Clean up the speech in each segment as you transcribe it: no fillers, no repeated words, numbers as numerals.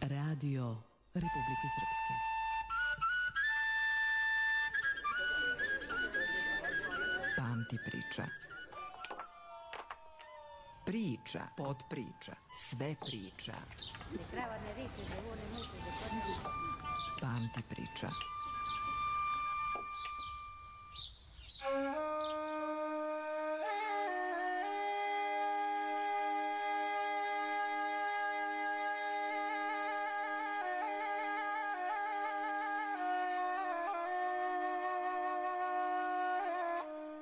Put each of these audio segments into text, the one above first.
Radio Republike Srpske. Pamti priča. Priča, podpriča, sve priča. Pamti priča.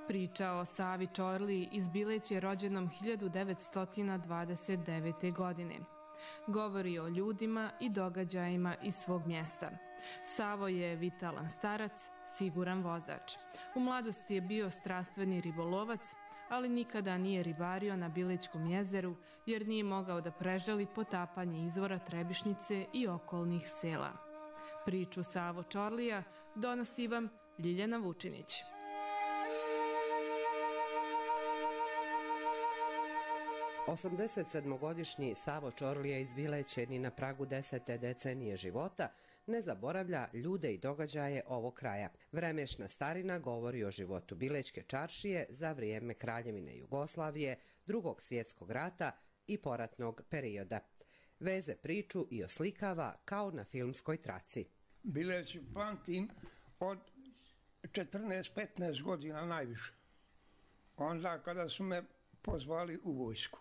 Priča o Savi Čorliji iz Bileće rođenom 1929. godine. Govori o ljudima i događajima iz svog mjesta. Savo je vitalan starac, siguran vozač. U mladosti je bio strastveni ribolovac, ali nikada nije ribario na Bilećkom jezeru jer nije mogao da prežali potapanje izvora Trebišnice i okolnih sela. Priču Savo Čorlija donosi vam Ljiljana Vučinić. 87-godišnji Savo Čorlija iz Bileće ni na pragu 10. decenije života ne zaboravlja ljude i događaje ovog kraja. Vremešna starina govori o životu Bilećke čaršije za vrijeme Kraljevine Jugoslavije, Drugog svjetskog rata i poratnog perioda. Veze priču i oslikava kao na filmskoj traci. Bileć pamtim od 14-15 godina najviše. Onda kada su me pozvali u vojsku.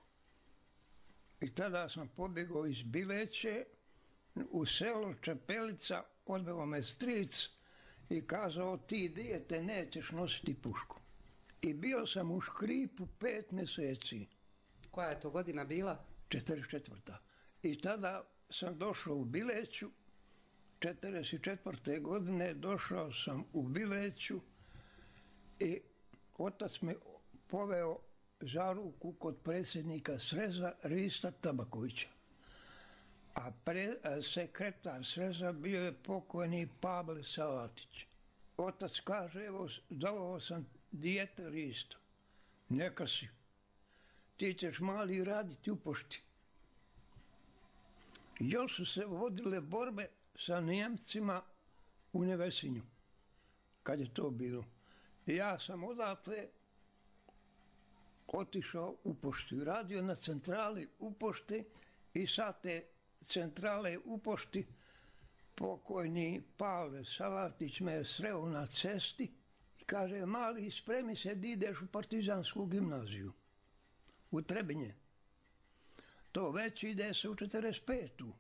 I tada sam pobjegao iz Bileće u selo Čepelica, odveo me stric i kazao ti dijete nećeš nositi pušku. I bio sam u Škripu 5 mjeseci. Koja je to godina bila? 44. I tada sam došao u Bileću, 44. godine došao sam u Bileću i otac me poveo za ruku kod predsjednika Sreza Rista Tabakovića. A sekretar Sreza bio je pokojni Pavle Salatić. Otac kaže, evo, doveo sam dijete Risto. Neka si. Ti ćeš mali raditi u pošti. Još su se vodile borbe sa Nijemcima u Nevesinju. Kad je to bilo. Ja sam odatle otišao u poštu i radio na centrali u pošti i sa te centrale u pošti pokojni Pavle Salatić me je sreo na cesti i kaže, mali, spremi se da ideš u partizansku gimnaziju u Trebinje. To već ide se u 45.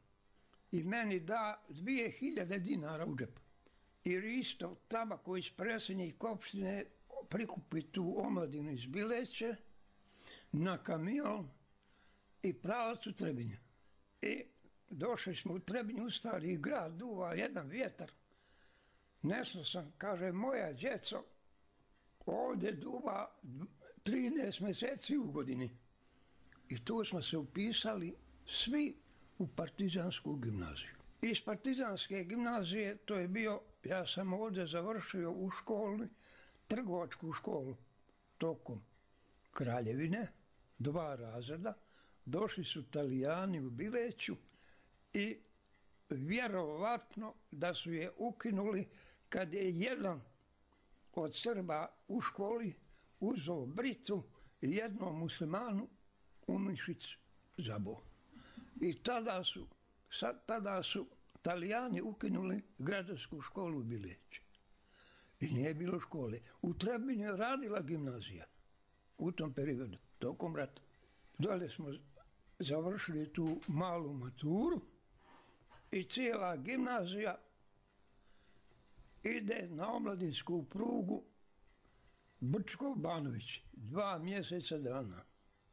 I meni da 2000 dinara u džep. I Risto Tabaković, predsjednik opštine, prikupi tu omladinu iz Bileće na kamion i pravac u Trebinje. I došli smo u Trebinju, u stari grad, duva jedan vjetar. Nesno sam, kaže, moja djeco, ovdje duva 13 mjeseci u godini. I tu smo se upisali svi u partizansku gimnaziju. Iz partizanske gimnazije, to je bio, ja sam ovdje završio u školi, trgovačku školu, tokom Kraljevine, 2 razreda, došli su Talijani u Bileću i vjerovatno da su je ukinuli kad je jedan od Srba u školi uzeo britu i jednom muslimanu u mišić zabao. I tada su Talijani ukinuli građansku školu u Bileću. I nije bilo škole. U Trebinju je radila gimnazija u tom periodu, tokom rata. Dole smo završili tu malu maturu i cijela gimnazija ide na omladinsku prugu Brčko-Banović 2 mjeseca dana.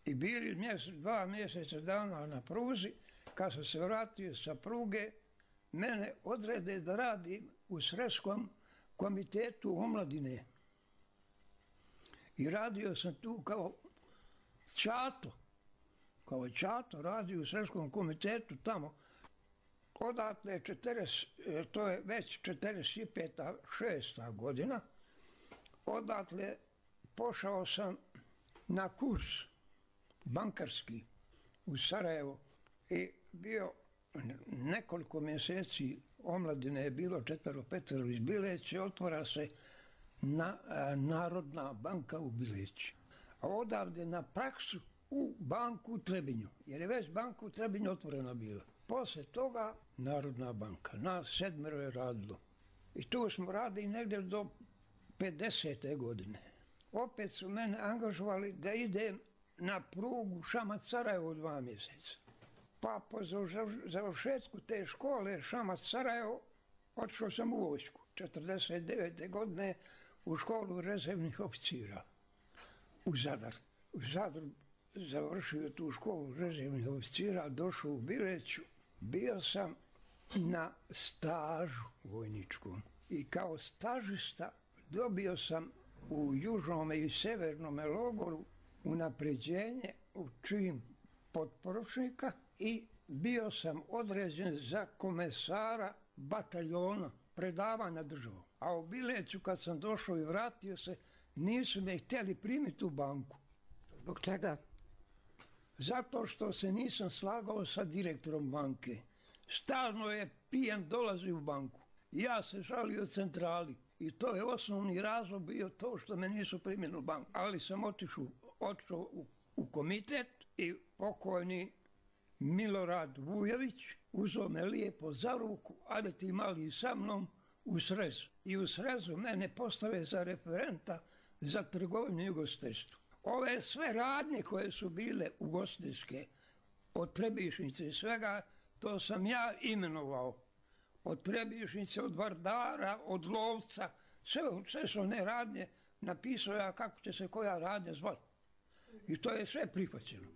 I bili 2 mjeseca dana na pruzi, kad sam se vratio sa pruge, mene odrede da radim u Sremskom komitetu omladine. I radio sam tu kao Čato radio u Sremskom komitetu tamo. Odatle to je već 45. 6. godina, odatle pošao sam na kurs bankarski u Sarajevo i bio nekoliko mjeseci omladine je bilo 4-5 iz Bileće, otvara se Narodna banka u Bileći. A odavde na praksu u banku u Trebinju, jer je već banku u Trebinju otvorena bila. Poslije toga Narodna banka, nas 7 je radilo. I tu smo radili negdje do 50. godine. Opet su mene angažovali da idem na prugu Šamac-Sarajevo 2 mjeseca. Pa po završetku te škole Šamac-Sarajevo otišao sam u vojsku. 49. godine u školu rezervnih oficira u Zadar. U Zadru završio tu školu rezervnih oficira, došao u Bileću. Bio sam na stažu vojničkom i kao stažista dobio sam u južnom i severnom logoru unapređenje u čin potporučnika i bio sam određen za komesara bataljona, predavanja državom. A u Bileću kad sam došao i vratio se, nisu me htjeli primiti u banku. Zbog čega? Zato što se nisam slagao sa direktorom banke. Stalno je pijan dolazi u banku. Ja se žalio centrali. I to je osnovni razlog bio to što me nisu primili u banku. Ali sam otišao u komitet i pokojni Milorad Vujović uzeo me lijepo za ruku, ajde ti mali sa mnom u Srez. I u Srezu mene postave za referenta za trgovinu i ugostiteljstvo. Ove sve radnje koje su bile ugostiteljske, od Trebišnice i svega, to sam ja imenovao. Od Trebišnice, od Vardara, od Lovca, sve su one radnje, napisao ja kako će se koja radnja zvati. I to je sve prihvaćeno.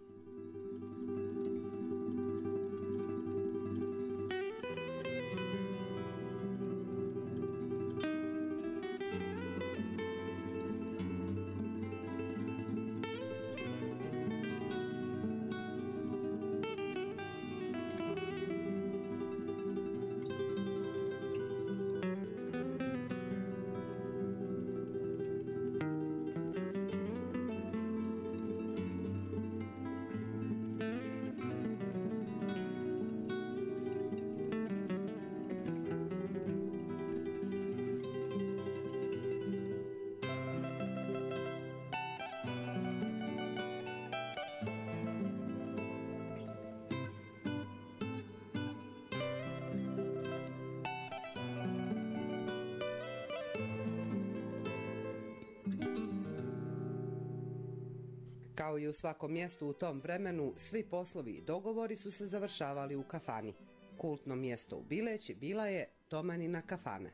Kao i u svakom mjestu u tom vremenu, svi poslovi i dogovori su se završavali u kafani. Kultno mjesto u Bileći bila je Tomanina kafana.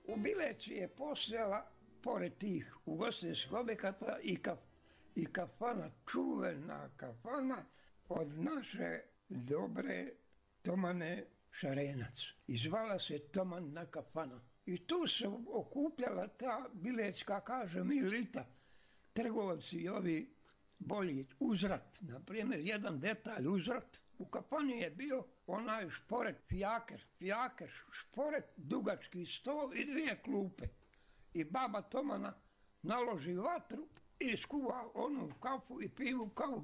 U Bileći je postojala, pored tih ugostiteljskih objekata, i kafana, čuvena kafana od naše dobre Tomane Šarenac. I zvala se Tomanina kafana. I tu se okupljala ta bilećka, kažem, elita, trgovci i ovi bolji uzrat. Naprimjer, jedan detalj uzrat. U kafani je bio onaj šporet, fijaker, šporet, dugački stol i 2 klupe. I baba Tomana naloži vatru i skuva onu kafu i pivu kao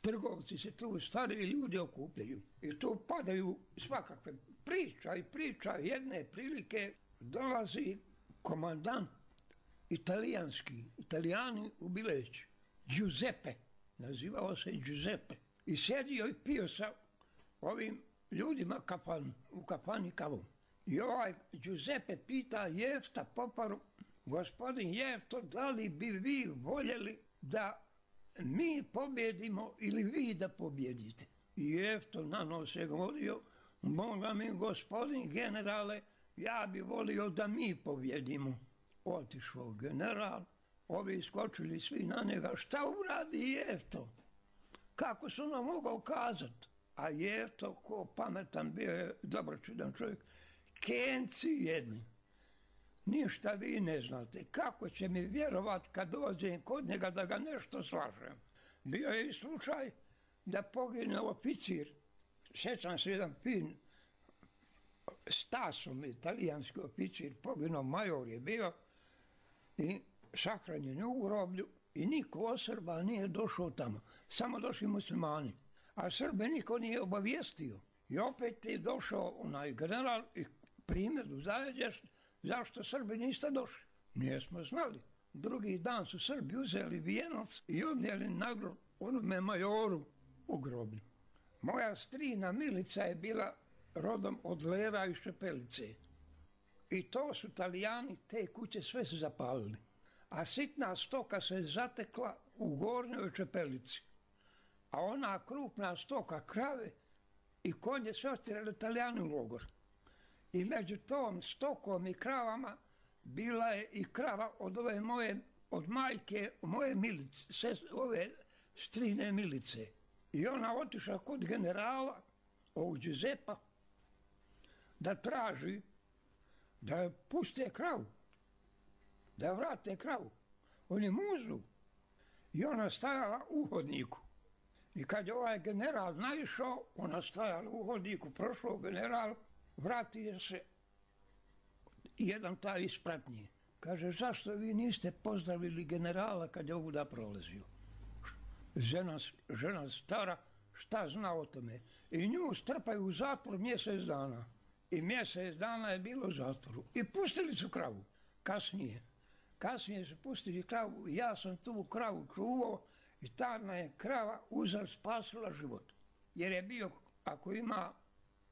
trgovci se tu, stariji ljudi okupljaju. I tu padaju svakakve priča. Jedne prilike dolazi komandant Italijani u Bileći, Giuseppe, nazivao se Giuseppe. I sjedio i pio sa ovim ljudima u kafani kavom. I ovaj Giuseppe pita Jefta Poparu, gospodin Jefto, da li bi vi voljeli da mi pobjedimo ili vi da pobjedite? I Jefto na nos je govorio, Boga mi gospodin generale, ja bi volio da mi pobjedimo. Otišao general, ovi skočili svi na njega, šta uradi Jefto? Kako su nam mogao kazati? A Jefto, ko pametan, bio je dobročudan čovjek, kenci jedni. Ništa vi ne znate, kako će mi vjerovat kad dođem kod njega da ga nešto slažem. Bio je i slučaj da pogine oficir, sjećam se jedan fin, Stasom, italijanski oficir, poginuo, major je bio i sahranjen u groblju i niko od Srba nije došao tamo, samo došli muslimani. A Srbe niko nije obavijestio. I opet je došao onaj general i primjeru daje, zašto Srbi niste došli? Nismo znali. Drugi dan su Srbi uzeli vijenac i odnijeli na grob onome majoru u groblju. Moja strina Milica je bila rodom od Lera i Šepelice. I to su Talijani, te kuće sve su zapalili. A sitna stoka se zatekla u Gornjoj Čepelici. A ona krupna stoka, krave i konje sve otjerali Talijani u logor. I među tom stokom i kravama bila je i krava od ove moje, od majke moje Milice, ove strine Milice. I ona otišla kod generala, ovog Giuseppa, da traži da je puste kravu, da je vrate kravu. Oni muzu. I ona stajala u hodniku. I kad je ovaj general naišao, ona stajala u hodniku, prošao general, vratio se jedan taj ispratnije. Kaže, zašto vi niste pozdravili generala kad je ovuda prolazio? Žena stara, šta zna o tome? I nju strpaju u zatvor mjesec dana. I mjesec dana je bilo u zatvoru. I pustili su kravu. Kasnije su pustili kravu. Ja sam tu kravu čuvao i tada je krava spasila život. Jer je bio, ako ima,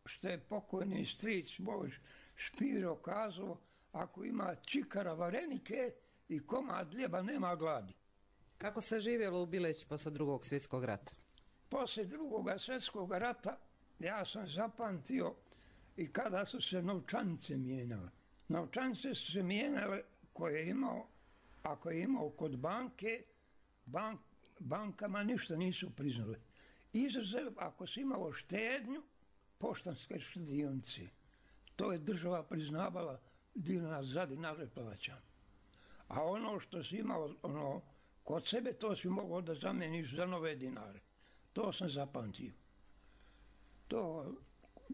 što je pokojni stric moj Špiro kazao, ako ima čikara varenike i komad ljeba, nema gladi. Kako se živjelo u Bileći posle Drugog svjetskog rata? Poslije Drugog svjetskog rata ja sam zapamtio i kada su se novčanice mijenjale. Novčanice su se mijenjale koje je imao, ako je imao kod banke, bankama ništa nisu priznali. Izuzev, ako si imao štednju, poštanske štedionice. To je država priznavala dinar za dinar plaćan. A ono što si imao kod sebe, to si mogao da zameniš za nove dinare. To sam zapamtio.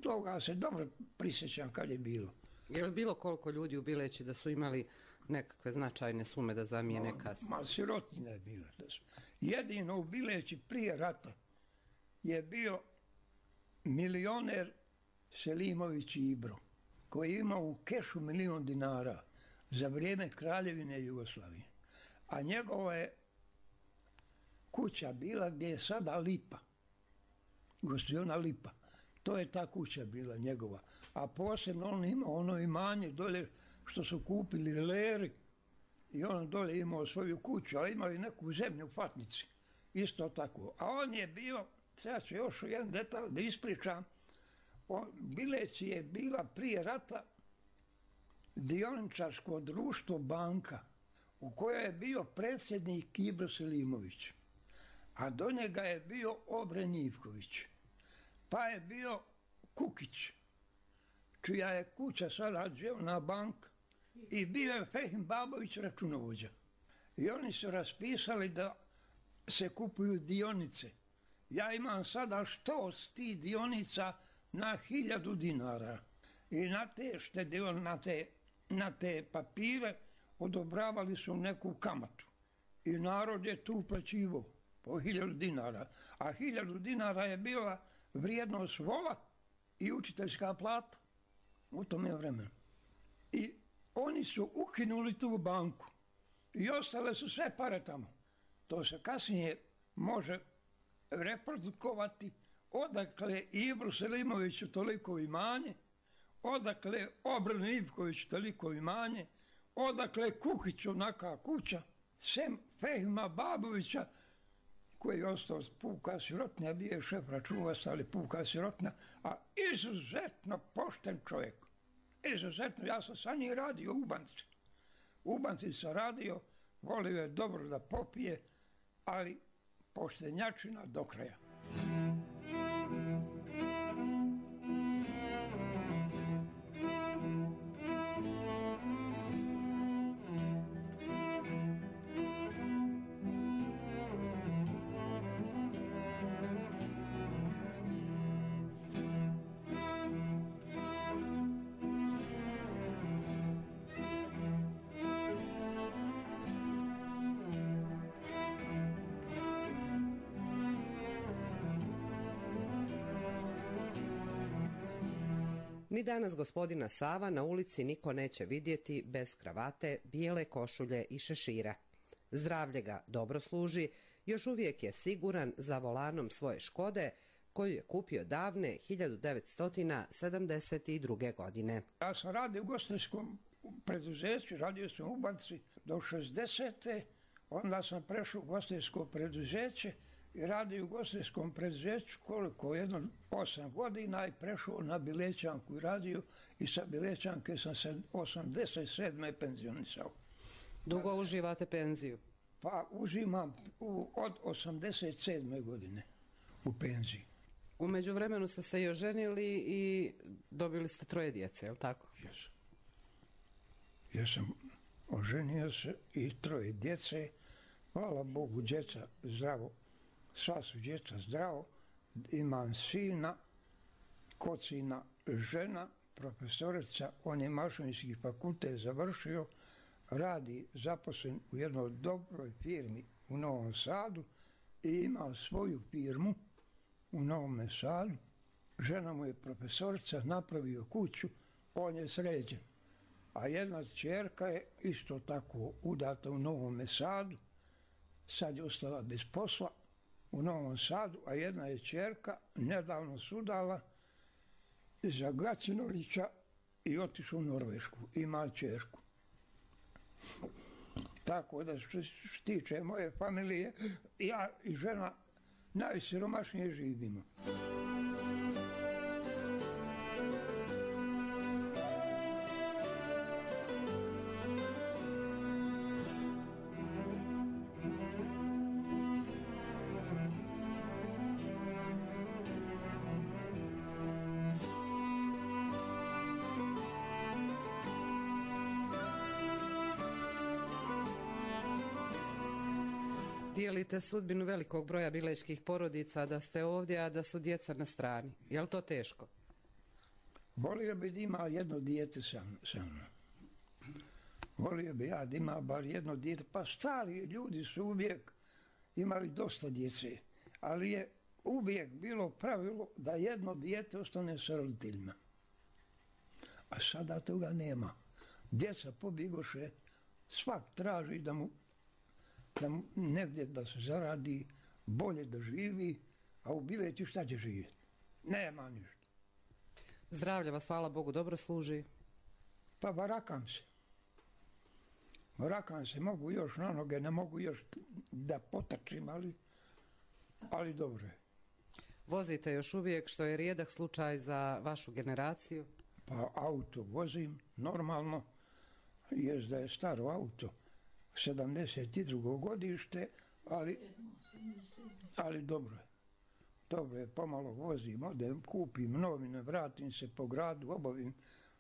Toga se dobro prisjećam kad je bilo. Je li bilo koliko ljudi u Bileći da su imali nekakve značajne sume da zamijene kasnije? Ma sirotinja je bila. Jedino u Bileći prije rata je bio milioner Selimović Ibro, koji je imao u kešu 1 milion dinara za vrijeme Kraljevine Jugoslavije. A njegova je kuća bila gdje je sada Lipa, gostiona Lipa. To je ta kuća bila njegova. A posebno on imao ono imanje dole što su kupili Leri i on dole imao svoju kuću, a imao i neku zemlju u Fatnici. Isto tako. A on je bio, sad ću još jedan detalj da ispričam, Bileci je bila prije rata dioničarsko društvo banka u kojoj je bio predsjednik Ibro Selimović, a do njega je bio Obren Ivković, pa je bio Kukić, čija je kuća sada Dževna banka, i bio je Fehim Babović računovođa. I oni su raspisali da se kupuju dionice. Ja imam sada 100 tih dionica na 1000 dinara. I na te na te papire odobravali su neku kamatu. I narod je tu uplaćivao po 1000 dinara. A 1000 dinara je bila vrijednost vola i učiteljska plata u tome vremenu. I oni su ukinuli tu banku i ostale su sve pare tamo. To se kasnije može reprodukovati odakle Ibru Selimoviću toliko imanje, odakle Obranu Ivkoviću toliko imanje, odakle Kukiću naka kuća, sem Fehima Babovića, koji je ostao puka sirotnja, bio je šef računovodstva, ali puka sirotnja, a izuzetno pošten čovjek. Izuzetno, ja sam sa njim radio u banci. U banci sam radio, volio je dobro da popije, ali poštenjačina do kraja. Ni danas gospodina Sava na ulici niko neće vidjeti bez kravate, bijele košulje i šešira. Zdravlje ga dobro služi, još uvijek je siguran za volanom svoje Škode, koju je kupio davne 1972. godine. Ja sam radio u ugostiteljskom preduzeću, radio sam u banci do 60. Onda sam prešao u ugostiteljsko preduzeće i radio u ugostiteljskom preduzeću koliko, 8 godina i prešao na Bilećanku i radio i sa Bilećanke sam se 87. penzionisao. Dugo uživate penziju? Pa uzimam od 87. godine u penziji. U međuvremenu ste se i oženili i dobili ste 3 djece, je li tako? Jesam. Jesam, oženio se i 3 djece. Hvala Bogu, djeca zdravo. Sva su djeca zdravo. Imam sina, kod sina žena, profesorica, on je mašinski fakultet završio, radi zaposlen u jednoj dobroj firmi u Novom Sadu i ima svoju firmu u Novom Sadu. Žena mu je profesorica, napravio kuću, on je sređen. A jedna ćerka je isto tako udata u Novom Sadu, sad je ostala bez posla u Novom Sadu, a jedna je ćerka nedavno sudala za Gacinovića i otišla u Norvešku, ima ćerku. Tako da što se tiče moje familije, ja i žena najsiromašnije živimo. Dijelite sudbinu velikog broja bilečkih porodica, da ste ovdje, a da su djeca na strani. Je li to teško? Volio bi da ima jedno dijete sa mnom. Volio bi ja da ima bar jedno dijete. Pa stari ljudi su uvijek imali dosta djece, ali je uvijek bilo pravilo da jedno dijete ostane sa roditeljima. A sada toga nema. Djeca pobjegoše, svak traži da mu negdje da se zaradi, bolje da živi, a u Bileću šta će živjeti? Nema ništa. Zdravlje vas, hvala Bogu, dobro služi? Pa varakam se. Varakam se, mogu još na noge, ne mogu još da potrčim, ali dobro je. Vozite još uvijek, što je rijedak slučaj za vašu generaciju? Pa auto vozim, normalno, jest da je staro auto, 72. godište, ali dobro je. Dobro je, pomalo vozim, odem, kupim novine, vratim se po gradu, obavim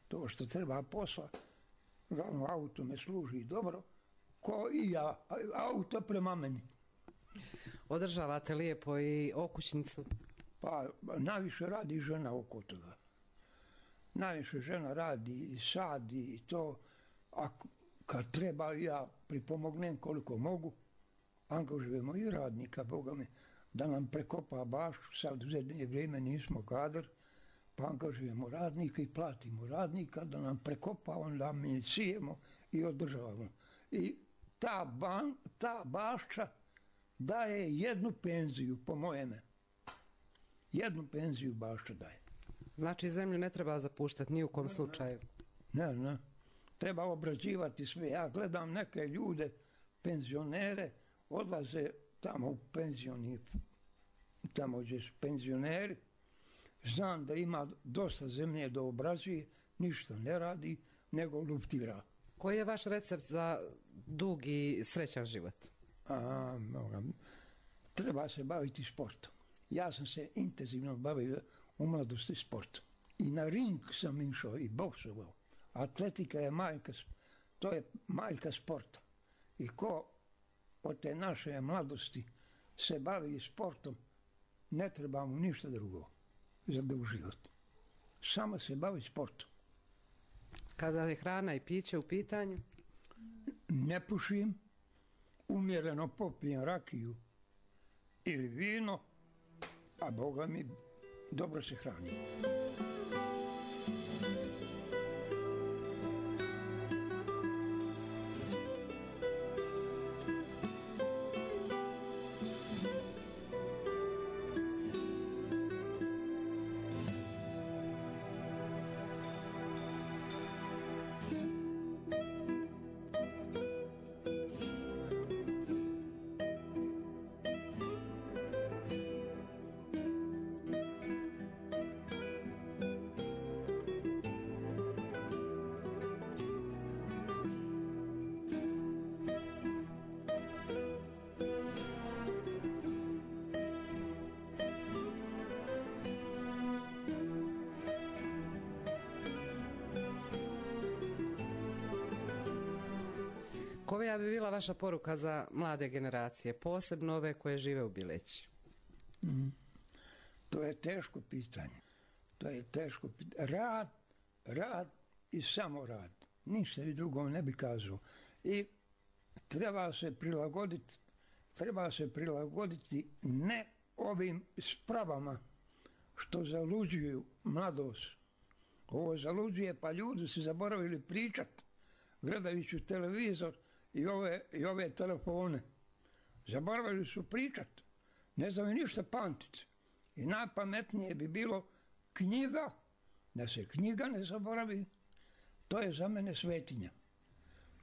to što treba posla. Glavno, auto me služi dobro, ko i ja, auto prema meni. Održavate lijepo i okućnicu? Pa najviše radi žena oko toga. Najviše žena radi i sadi i to, a kad treba ja pripomognem koliko mogu, angažujemo i radnika, Boga mi, da nam prekopa bašću, sad u zadnje vrijeme nismo kadar, pa angažujemo radnika i platimo radnika da nam prekopa, onda mi sijemo i održavamo. I ta bašća daje jednu penziju, po mojeme. Jednu penziju bašća daje. Znači zemlju ne treba zapuštati ni u kom slučaju? Ne. Treba obrađivati sve. Ja gledam neke ljude, penzionere, odlaze tamo u penzioni, tamo gdje su penzioneri. Znam da ima dosta zemlje da obrađuje, ništa ne radi, nego luptira. Koji je vaš recept za dug i srećan život? Treba se baviti sportom. Ja sam se intenzivno bavio u mladosti sportom. I na ring sam išao i boksovao. Atletika je majka sporta. I ko od te naše mladosti se bavi sportom, ne treba mu ništa drugo za dug život. Samo se bavi sportom. Kada je hrana i piće u pitanju? Ne pušim, umjereno popijem rakiju ili vino, a Boga mi dobro se hranim. Koja bi bila vaša poruka za mlade generacije, posebno ove koje žive u Bileći? To je teško pitanje. Rad i samo rad. Ništa i drugo ne bi kazao. I treba se prilagoditi ne ovim spravama što zaluđuju mladost. Ovo zaluđuje, pa ljudi se zaboravili pričat, gledajući televizor i ove telefone. Zaboravili su pričat, ne znaju ništa pamtiti. I najpametnije bi bilo knjiga, da se knjiga ne zaboravi, to je za mene svetinja.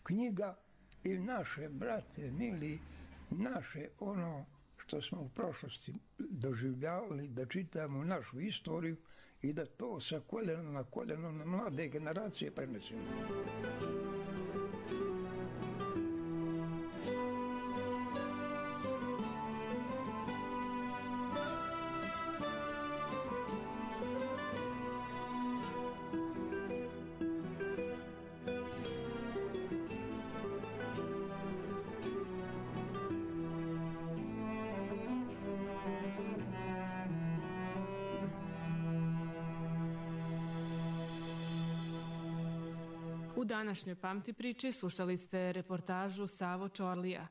Knjiga i naše, brate, mili, naše ono što smo u prošlosti doživljavali, da čitamo našu istoriju i da to sa koljena na koljeno na mlade generacije prenesemo. U današnjoj Pamti priči slušali ste reportažu Savo Čorlija,